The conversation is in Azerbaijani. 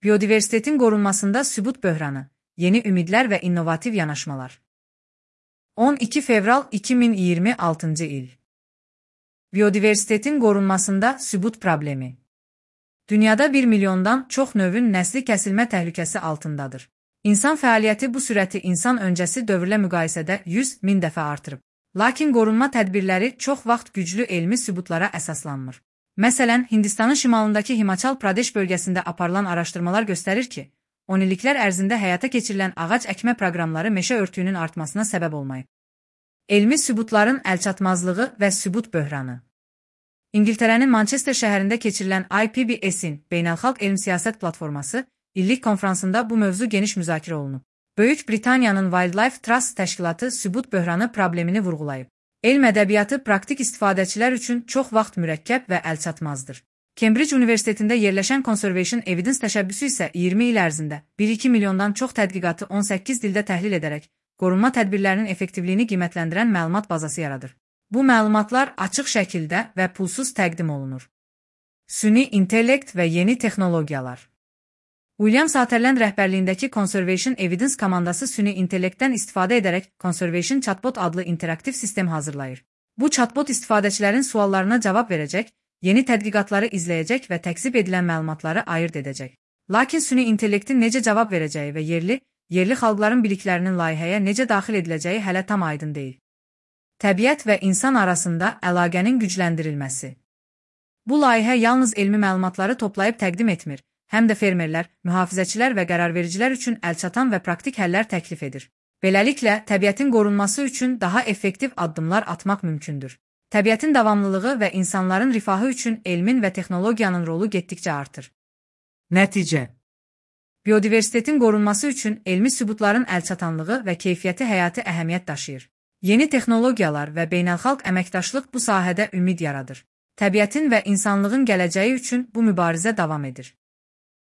Biodiversitetin qorunmasında sübut böhranı, yeni ümidlər və innovativ yanaşmalar. 12 fevral 2026 il. Biodiversitetin qorunmasında sübut problemi. Dünyada 1 milyondan çox növün nəsli kəsilmə təhlükəsi altındadır. İnsan fəaliyyəti bu sürəti insan öncəsi dövrlə müqayisədə 100 min dəfə artırıb. Lakin qorunma tədbirləri çox vaxt güclü elmi sübutlara əsaslanmır. Məsələn, Hindistanın şimalındakı Himachal Pradesh bölgəsində aparılan araşdırmalar göstərir ki, 10 illiklər ərzində həyata keçirilən ağac əkmə proqramları meşə örtüyünün artmasına səbəb olmayıb. Elmi sübutların əlçatmazlığı və sübut böhranı. İngiltərənin Manchester şəhərində keçirilən IPBS-in Beynəlxalq Elm Siyasət Platforması illik konfransında bu mövzu geniş müzakirə olunub. Böyük Britaniyanın Wildlife Trust təşkilatı sübut böhranı problemini vurğulayıb. Elm ədəbiyyatı praktik istifadəçilər üçün çox vaxt mürəkkəb və əlçatmazdır. Cambridge Universitetində yerləşən Conservation Evidence təşəbbüsü isə 20 il ərzində 1-2 milyondan çox tədqiqatı 18 dildə təhlil edərək, qorunma tədbirlərinin effektivliyini qiymətləndirən məlumat bazası yaradır. Bu məlumatlar açıq şəkildə və pulsuz təqdim olunur. Süni intellekt və yeni texnologiyalar. William Sutherland rəhbərliyindəki Conservation Evidence komandası süni intellektdən istifadə edərək Conservation Chatbot adlı interaktiv sistem hazırlayır. Bu chatbot istifadəçilərin suallarına cavab verəcək, yeni tədqiqatları izləyəcək və təksib edilən məlumatları ayırd edəcək. Lakin süni intellektin necə cavab verəcəyi və yerli xalqların biliklərinin layihəyə necə daxil ediləcəyi hələ tam aydın deyil. Təbiət və insan arasında əlaqənin gücləndirilməsi. Bu layihə yalnız elmi məlumatları toplayıb təqdim etmir, həm də fermerlər, mühafizəçilər və qərarvericilər üçün əlçatan və praktik həllər təklif edir. Beləliklə, təbiətin qorunması üçün daha effektiv addımlar atmaq mümkündür. Təbiətin davamlılığı və insanların rifahı üçün elmin və texnologiyanın rolu getdikcə artır. Nəticə. Biodiversitetin qorunması üçün elmi sübutların əlçatanlığı və keyfiyyəti həyati əhəmiyyət daşıyır. Yeni texnologiyalar və beynəlxalq əməkdaşlıq bu sahədə ümid yaradır. Təbiətin və insanlığın gələcəyi üçün bu mübarizə davam edir.